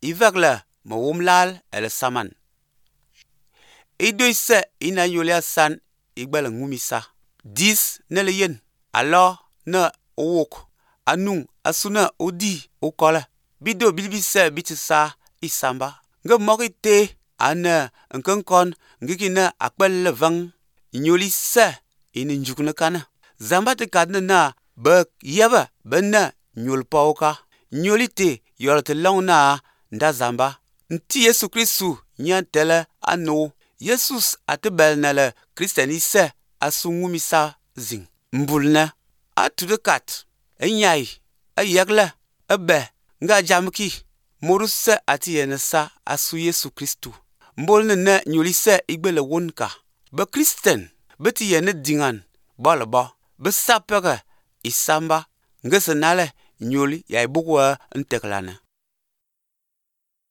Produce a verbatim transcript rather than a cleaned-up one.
ivek le mewom lal ele saman. Idoi se ina yolia san igbele ngumisa. Dis ne le yen. Alors ne owok. Anung asune odi okole. Bido bilbise bitisa isamba. Nge moki te ane nkenkon ngikine akpel levang nyoli se ine njukne kana. Zamba te kadne na be yebe be ne nyol pauka. Nyoli te yol te long na nda zamba. Nti Yesu Kristu nyan tele ano. Jesus ate belnele Christiani se asu ngumisa zing. Mbulne atude kat enyai eyekle ebe nga jamki moruse ati yenesa asu Yesu Kristu. Mbolne ne nyoli se igbele wonka. Be Christian beti yene dingan bole bo. Be sapege isamba ngesenale nyoli ya ibukwe nteklane.